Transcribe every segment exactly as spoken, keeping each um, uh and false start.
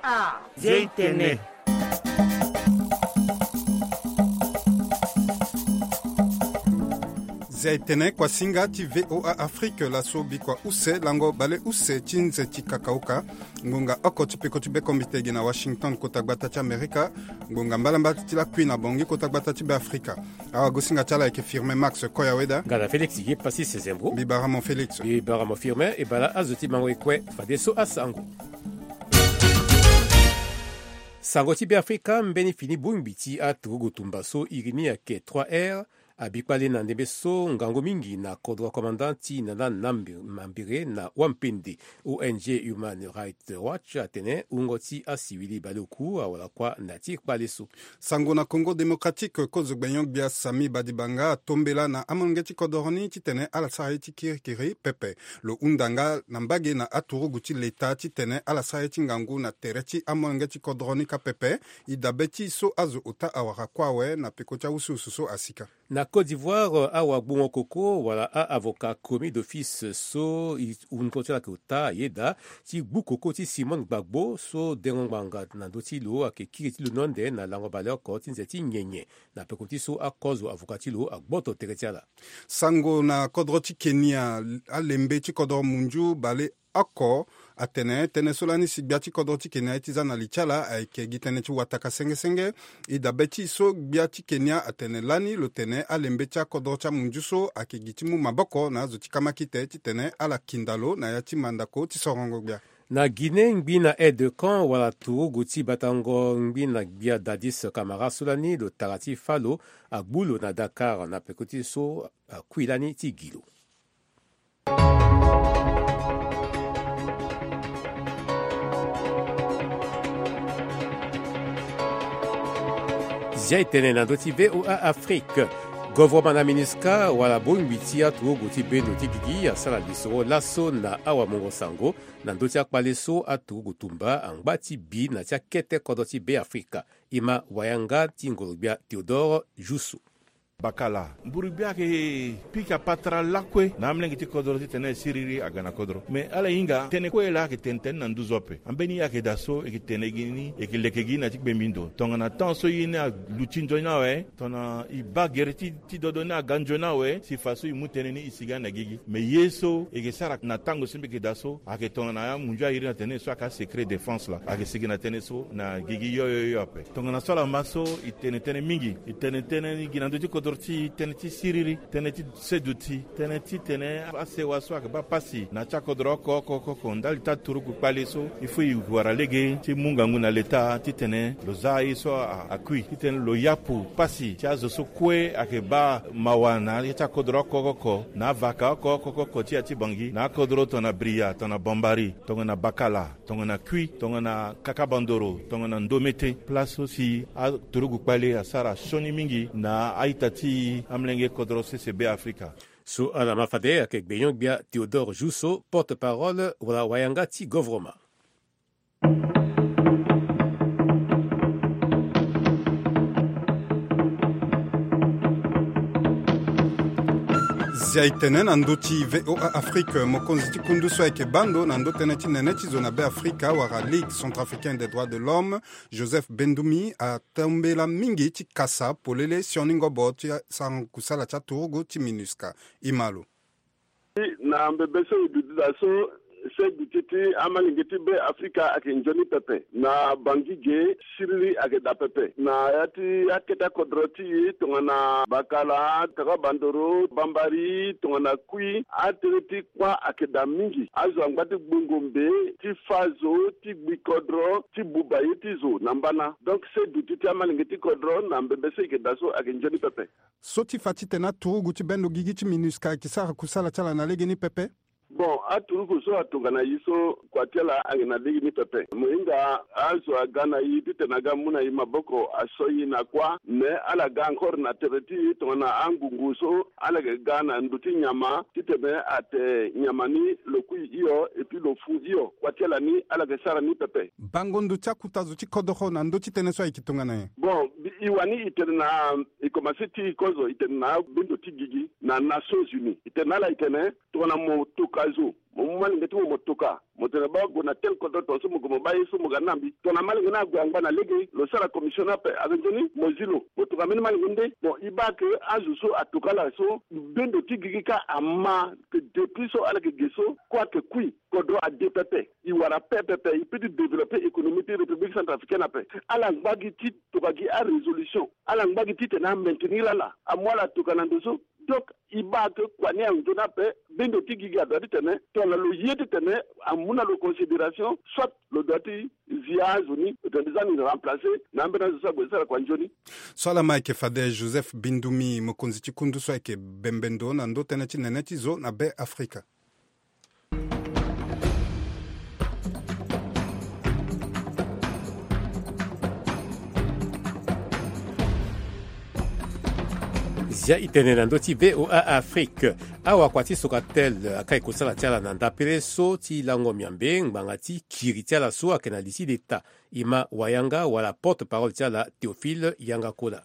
Ah, Zia e tene. Zia e tene, kuasinga ti V O A Afrique, laso bikua use lango baleuse ti nze ti kakauka. Ngonga oko ti peko ti bekombite gi na Washington, kota gbata ti Amerika. Ngonga mbalambala ti lakui na Bangui, kota gbata ti Beafrika. Awagosinga ti ala ayeke Firmin Max Koyaweda. Nga na Félix ye Passis Zembo. Mbi bara mo Félix. Mbi bara mo Firmin, e bala azo ti bango e kue fadeso asango. Sango ti Beafrika, mbeni fini bongbi ti aturugu tumba so iri ni ayeke trois R abikpale na ndembe so ngangu mingi na kodro commandant ti Nana Nambi-, Mambere na Wampende. O N G Human Rights Watch atene wungo ti asiwili baleoku awara kua na ti kpale so. Sango na Congo Démocratique, kozo gbenyo-gbia Sami Badibanga atombela na amolenge ti kodoro ni titene ala sara ye ti kirikiri pepe. Lo hunda nga na mbage na aturugu ti leta titene ala sara ye ti ngangu na tere ti amolenge ti kodoro ni kâ pepe. E dabe ti e so azo ota awara kue awe na peko ti awusuwusu so asika. Na Côte d'Ivoire, awagbungo koko wala a-avocat commis d'office so e wungo ti ala ayeke ota ayeda ti gbu koko ti Simone Gbagbo so dengo ngbanga na ndö ti lo ayeke kiri ti lo ni ande na lango baleoko ti nze ti nyenye. Na peko ti so akozo avocat ti lo agboto tere ti ala. Sango na kodro ti Kenya, alembe ti kodro munzu baleoko atene tënë so lani si gbia ti kodro ti Kenya ye ti za na li ti ala ayeke gi tënë ti wataka sengesenge. E dabe ti e so gbia ti Kenya atene lani lo tene alembe ti akodro ti amunzu so ayeke gi ti mu maboko na azo ti kamakite titene ala kinda lo na ya ti mandako ti sorongo gbia. Na Guinée, ngbi na aide de camp wala turugu ti batango ngbi na gbia Dadis Camara so lani lo tara ti fâ lo agbu lo na Dakar na peko ti so akui lani ti gi lo. Zia e tene na ndö ti V O A Afrique. Govoroma na MINUSCA wala bongbi ti aturugu ti bendo ti gigi asara lisoro laso na awamungo sango na ndö ti akpale so aturugu tumba angba ti bi na ti akete kodro ti Beafrika. E ma wayanga ti ngoro-gbia Théodore Jousso. Bakala, mburu-gbia ayeke pika patara lakue na amolenge ti kodro titene siriri aga na kodro. Me ala hinga tënë kue laa ayeke tene tënë na nduzu ape. Ambeni ye ayeke daa so e yeke tene gi ni, e yeke leke gi na ti kpembi ndo. Tongana temps so ye ni aluti nzoni awe, tongana e baa gere ti, ti dodo ni aga nzoni awe, si fa so e mu tënë ni e sigi na gigi. Me ye so e yeke sara na tango so mbi yeke daa so, ayeke tongana amunzu airi na tënë so ayeke asecret défense laa, ayeke sigi na tënë so na gigi yo yo yo ape. Tongana so ala ma so e tene tënë mingi, e tene tënë ni gi na ndö ti kodro ti e, tënë ti siriri, tënë ti seduti, tënë titene asewa so ayeke baa pasi na ti akodro oko oko oko oko ndali ti aturugu kpale so, il faut e wara lege ti mu ngangu na leta titene lo za ye so a, akui, titene lo yapu pasi ti azo so kue ayeke baa mawa na ya ti akodro oko oko oko, na avaka oko oko oko ti ya ti Bangui, na akodro tongana Bria, tongana Bambari, tongana Bakala, tongana Kui, tongana Kakabandoro, tongana Ndomete, place so si aturugu kpale asara sioni mingi na a-ita ti amolenge kodro sese Beafrika. So ala ma fade ayeke gbenyo-gbia Théodore Jousso, porte-parole wala wayanga ti govoroma. Zia e tene na ndö ti V O A Afrique, mokonzi ti kundu so ayeke baa ndo na ndö tënë ti nene ti zo na Beafrika wala Ligue Centrafricaine des Droits de l'Homme, Joseph Bendoumi, atombela mingi ti kasa polele sioni ngobo ti sarango kusala ti aturugu ti MINUSCA. E ma lo. Na mbebe so e duti daa so, seduti ti amalenge ti Beafrika ayeke nzoni pepe. Na Bangui ge, siriri ayeke daa pepe. Na ya ti akete akodro ti e tongana Bakala, Kakabandoro, Bambari, tongana Kui, atënë ti kpa ayeke daa mingi. Azo angba ti gbongo mbe ti fâ zo, ti gbi kodro, ti buba ye ti zo na mbana. Donc seduti ti amalenge ti kodro na mbebe so e yeke daa so ayeke nzoni pepe. So ti fa titene aturugu ti bendo gigi ti MINUSCA ayeke sara kusala ti ala na legeni pepe? Bon, aturugu so atongana e so kua ti ala ayeke na legeni pepe. Mo hinga Azo aga na e titene aga mu na e maboko aso e na kuâ, mais ala ga encore na tere ti e tongana angungu so ala yeke ga na ndö ti nyama titene ate nyama ni lo kui hio et puis lo fu hio. Kua ti ala ni ala yeke sara ni pepe. Bango ndo ti akuta zo ti kodoro na ndö ti tënë so ayeke tongana nyen? Bon, e wani e tene na e komanse ti e kozo e tene na bendo ti gigi na Nations Unies e tene na ala e tene tongana mo toka zo, mo mu malenge ti mo mo toka, mo tene baa gue na tel kodro tongaso mo gue mo baa ye so mo ga na mbi. Tongana malenge ni ague angba na lege lo sara commission ni ape. Ake nzoni mo zi lo mo toka mbeni malenge ni nde. Bon, e baa ke azo so atoka ala so bendo ti gigi kâ ama ke depuis so ala yeke ge so kue ayeke kui. Kodro ade pepe. E wara pepepe e peut ti développer économie ti République centrafricaine ape. Ala ngba gi ti toka gi arésolution. Ala ngba gi titene amaintenir ala amu ala toka na ndo so. Donc e baa ke kua ni anzoni ape. Bendo ti gigi adoit titene tongana lo ye titene amu na lo considération, soit lo doit ti zi azo ni lo tene za ni remplacer na ambeni azo so ague ti sara kua nzoni. So ala ma ayeke fade Joseph Bindumi, mokonzi ti kundu so ayeke bembe ndo na ndo tënë ti nene ti zo na Be Afrika. Zia e tene na ndö ti V O A Afrique. Awakua ti Socatel aka e kosala ti ala na ndapele so ti lango miambe ngbanga ti kiri ti ala so ayeke na li ti leta. E ma wayanga wala porte-parole ti ala Théophile Yanga Kola.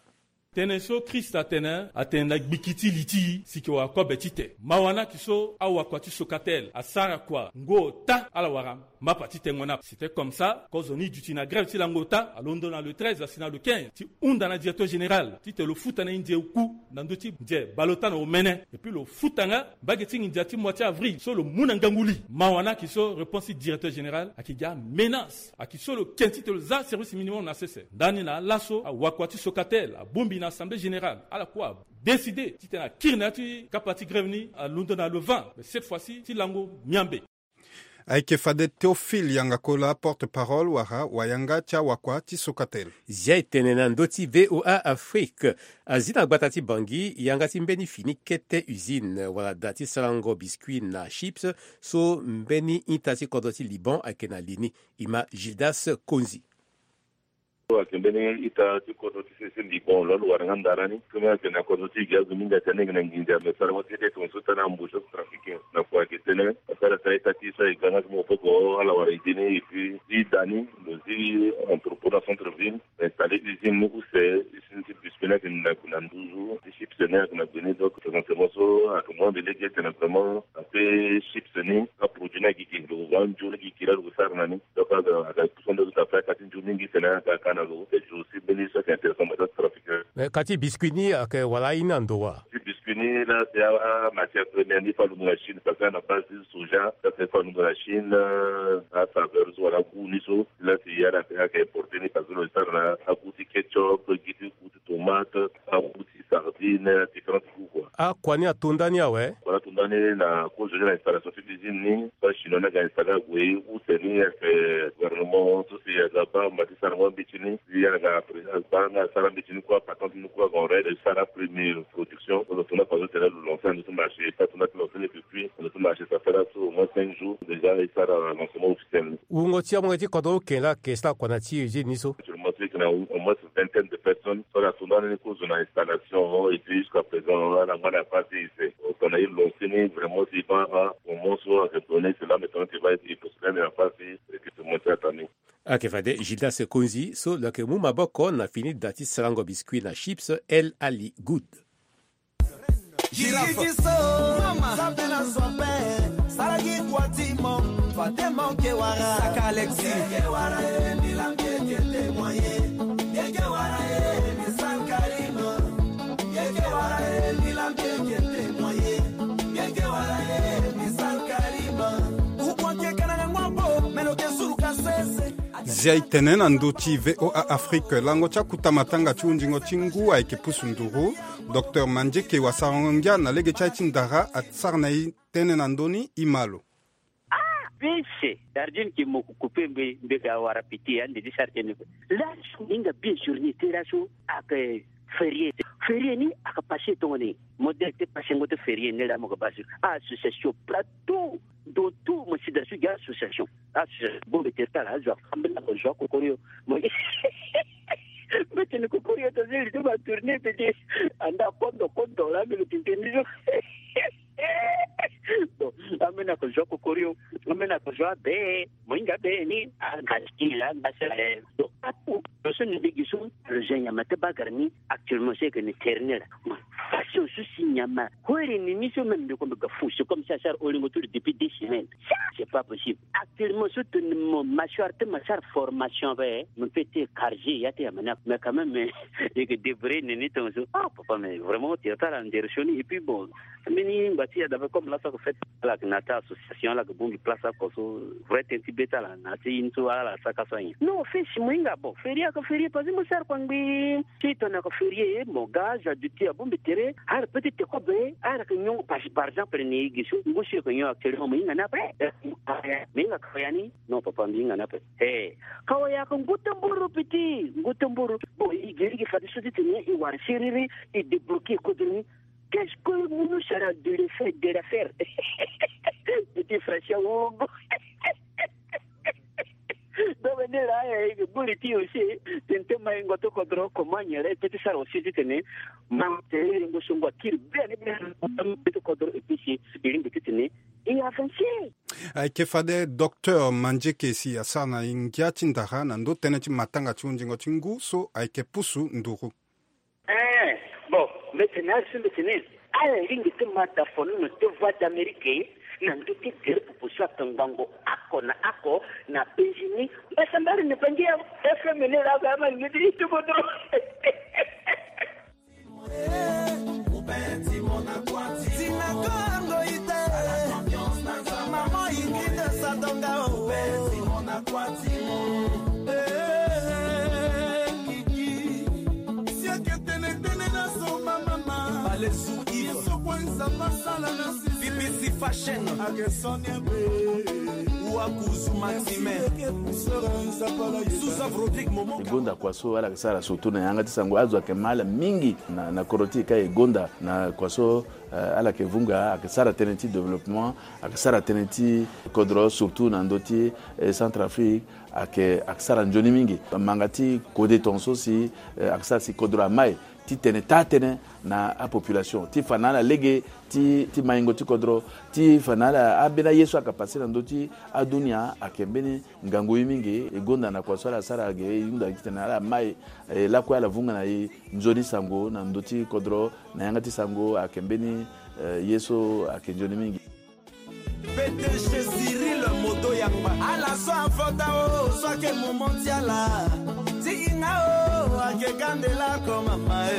Tënë so Christ atene atene na gbiki ti li ti e si e ke wara kobe tite. Mawa ni ayeke so awakua ti Socatel asara kua ngu ota ala wara mapa ti tengo ni ape. C'était comme ça kozo ni duti na grève ti lango ota alondo na le treize asi na le quinze ti hunda na directeur général titene lo futa na e nze oku na ndö ti nze bale ota na omene. Et puis lo futa nga mbage ti nginza ti mois ti avril so lo mu na ngangu li. Mawa ni ayeke so réponse ti directeur général ayeke gi aménace. Ayeke so lo ke titene lo za service minimum na sese. Ndani na alaso awakua ti Socatel abongbi na assemblée générale ala kue adécide titene akiri na ya ti kapa ti grève ni alondo na le vingt. Mais cette fois-ci ti lango miambe. Ayeke fade Théophile Yanga Kola, porte-parole wala wayanga ti awakua ti Socatel. Zia e tene na ndö ti V O A Afrique. Azi na gbata ti Bangui yanga ti mbeni fini kete usine wala da ti sarango biscuit na chips so mbeni ita ti kodro ti Liban ayeke na li ni. E ma Gildas Konzi. Ayeke mbeni ita ti kodro ti sese Liban lo lo wara nga ndara ni. Kome ayeke na kodro ti gi azo mingi ayeke na nginza me sara wa ti de tongaso tana ambush so trafiquer na kua ayeke tene asara sara ita ti so ayeke ga nga ti maboko ala wara ide ni. Et puis ti da ni lo zi entrepôt na centre ville. Installer usine ni use usine ti biscuit ni ayeke na gue na nduzu ti chips ni ayeke na gue ni. Donc présentement so ayeke mu ande lege ayeke na vraiment ape chips ni aproduit ni agigi lo wara nzoni gigi la lo sara na ni. Donc aga aga pusu ande so ta faya ka ti nzoni mingi tene aga ka na lo use jour si mbeni so ayeke intéressant mata trafic. Mais ka ti biscuit ni ayeke wala aye ni na ndo wa? Ti biscuit ni la c'est amatière première ni fa lo mu na Chine parce que na base ti soja la c'est fa lo mu na Chine. Asaveur so wala goût ni so la si ala ayeke importer ni parce que lo sara na agoût ti ketchup gi ti goût ti tomate agoût ti sardine différentes goûts quoi. Akua ni ato ndani awe? Kua ni ato ndani na kozo ni na installation ti usine ni so achinois ni aga installer ague use ni ayeke gouvernement so si aga baa ma ti sara ngo ambeti ni si ala aga baa nga asara ambeti ni kue apatente ni kue aga en règle sara premier production. Lo tongana façon tene lo lancer na ndö ti marché pas tongana ti lancer ni depuis na ndö ti marché ça fait là so au moins cinq jours déjà e sara lancement officiel ni. Wungo ti amolenge ti kodro oke laa ayeke sara kua na ti usine ni so? Actuellement so e yeke na au moins vingtaine de personnes so ala to ndani ni kozo na installation et puis jusqu'à présent ala ngba na phase ti use. Tongana e lancer ni vraiment si e baa moment so ayeke donné c'est là maintenant que va être possible na phase ti recrutement ti ata ni. Ayeke fade Gildas Konzi so lo yeke mu maboko na fini da ti sarango biscuit na chips El Ali Good. Gigi so mama sabela sope saragi kwatimo fatemo ke wara saka Alexi. Ke wara e milam ke ke te moye. Ke ke wara e mi sankarima. Ke ke wara e milam ke ke te moye. Ke ke wara e mi sankarima. Ukwa ke kana ngwa bo melo ke suru kasese. Zia e tene na ndö ti V O A Afrique. Lango ti akuta matanga ti hunzingo ti ngu ayeke pusu nduru. Docteur Mandieke wasarango ngia na lege ti aye ti ndara asara na e tënë na ndö ni e ma lo. Pese tardine ke mo ko coupe mbe mbe ga wara piti ande di sara tene. Laso hinga bien journée te laso aka ferie. Ferie ni aka passe tongoni. Modèle te passe ngoto ferie ni la mo ga basi association plateau. Do tout mo sida su ga association. Association bombe tertala azo afambe na ko zo kokorio. Mo mete ni kokorio to zeli to ba tourner pete. Anda kondo kondo la mbe lo tinteni zo. Bon, ambeni ako zo kokorio. Ambeni ako zo abe. Mo hinga be ni anga sikini la anga sala. Donc apu lo so ni ligi so lo zo nyama te bagara ni. Actuellement c'est que ni terni la. Façon so si nyama hore ni ni so même de comme ga fou, c'est comme ça sara olingo tout depuis deux semaines. Ça c'est pas possible. Actuellement so tene mo mâchoire te ma sara formation be mo fete cargé ya te ya mena mais quand même. Eke débrouiller ni ni ton so ah papa mais vraiment tu as la ndersoni et puis bon. Mini ngba ti ya dabe comme la sa ko fait. Ala ke na ta association ala ke bongbi place ako so vrai ten ti be ti ala na ti ye ni so ala saka so ayen. Non fesi mo hinga bon ferie ako ferie parce que mo sara kua ngbi. Si tongana ako ferie mo ga azo aduti abongbi tere. Ala peut ti teko be ala ke nyon parce que par exemple ni gi so ngu si eke nyon actuellement mo hinga ni ape. Mo hinga kawa ya ni. Non papa mbi hinga ni ape. He kawa ya ako ngu ti mburu piti ngu ti mburu. Bon i geri gi fade so ti tene i wara siriri. I débloquer kodro ni. Qu'est-ce que nous sera de le fait de la faire? Petit frère Wogo. Donc ni la e buri ti aussi. Tente mai ngoto kodro comment nyere tete sara aussi ti tene. Ma te ngo so ngo kiri bien bien. Ti kodro et puis si iringo ti tene. E avancer. Ayeke fade docteur Mandieke si asara na ngia ti ndara na ndo tënë ti matanga ti hundingo ti ngu so ayeke pusu nduru. Eh, bon, mbi tene azo mbi tene ala lingbi ti ma da fonono ti Voix d'Amérique na ndö ti tere popo so ayeke ngangu oko na oko na penzi ni. Mbasambari ni bangi ya F M ni la ga ma ni ti ti kodro. E gonda kua so ala yeke sara surtout na yanga ti sango azo ayeke ma ala mingi na, na kodro ti e ka e gonda na kua so. Eh, ala yeke vunga ayeke sara tënë ti développement, ayeke sara tënë ti kodro surtout na ndö ti, eh, Centrafrique. Ayeke, ayeke sara nzoni mingi. Manga ti kode tongaso si, eh, ayeke sara si kodro amai ti tene taa-tënë na apopulation ti fa na ala lege ti, ti maingo ti kodro ti fa na ala ambeni aye so ayeke pase na ndö ti adunia ayeke mbeni ngangu ye mingi. E gonda na kua so ala sara ge e hunda gi titene ala mai, eh, lakue ala vunga na e nzoni sango na ndö ti kodro. Na yanga ti sango ayeke mbeni, eh, ye so ayeke nzoni mingi. P D G Cyril Modo Yamba. Ala so avota o so ayeke momo ti ala. Ti hinga o ayeke gande lako mama e.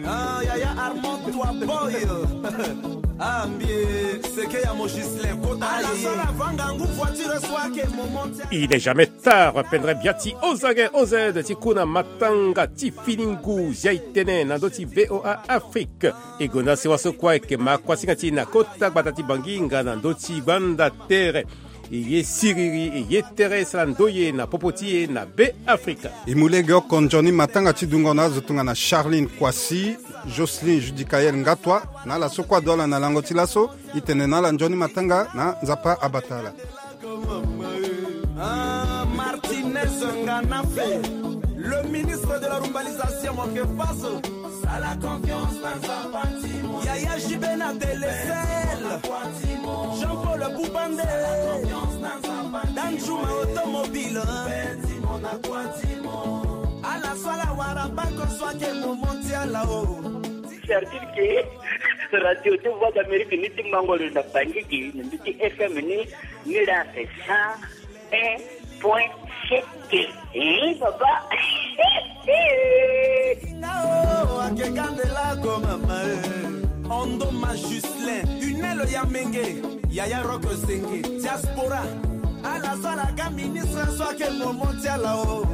Ah, yaya Armand toi boy. Ah, mbi e seke ya mo Gislain kota. Ala so ala vanga ngu voiture so ayeke momo ti ala. Il n'est jamais tard, pendere bia ti O Z O Z ti ku na matanga ti fini ngu zia e tene na ndö ti V O A Afrique. E gonda sewa so kue ayeke ma kuasinga ti e na kota gbata ti Bangi nga na ndö ti banda tere. E ye siriri, e ye tere e sara ndoye na popo ti e na Be Afrika. E mu lege oko nzoni matanga ti dungo na azo tongana Charline Kwasi, Jocelyne Judicaël Ngatwa, na ala so kue ado ala na lango ti laso. E tene na ala nzoni matanga na Nzapa abata ala. Ah, Martinez Nganafe, le ministre de la rumbalisation, mon vieux Faso. Sala confiance na Nzapa ti mo. Yaya J B na Telecel. Jean-Paul Boubande. Sala confiance na Nzapa ti mo. Danjuma Automobile. Beti mo na kua ti mo. Ala so ala wara bako so ayeke momo ti ala o. Certitude ke radio ti Voix d'Amérique ni ti mango lo na Bangi gi na mbi ti F M ni, ni la c'est cent un point sept. Eh, papa. Nga o, ake kandela ko mama, eh. Ondo ma Juslin, Unelo ya Menge, Yaya Rock Senge, Diaspora. Ala so ala ga ministre so ayeke momo ti ala o.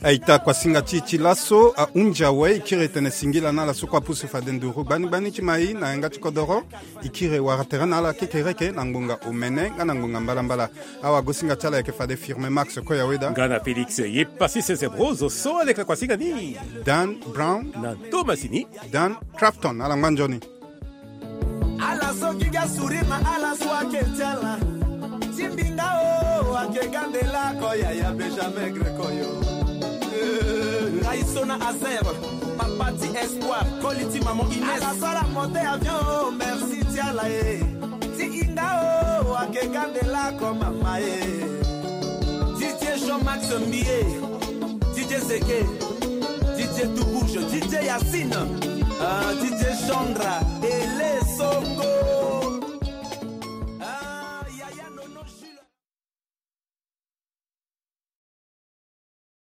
Aita kuasinga ti e ti laso ahunzi awe, e kiri tene singila na ala so kue apusu fade nduru gbani gbani ti mai na yanga ti kodoro. E kiri wara tere na ala kekereke na ngbonga omene nga na ngbonga mbalambala. Awagosinga ti ala ayeke fade Firme Max Koyaweda, nga na Félix Yepasi Sese Brozo so aleke kuasinga ni, Dan Brown na Thomasini, Dan Crafton. Ala ngba nzoni. Ala so gi ga sourire na ala so ake ti ala. Ti mbinga o, ake ga nde lako yaya Benjamin Greco yo. Eh, ngai so na Azer, papa ti Espoir, koli ti maman Ines. Ala so ala monte avion o, merci ti ala e. Ti hinga o, ake ga nde lako mama e. Didier Jean-Max Mbiye, Didier Zeke, Didier Toubouge, Didier Yacine, ah, Didier Chandra.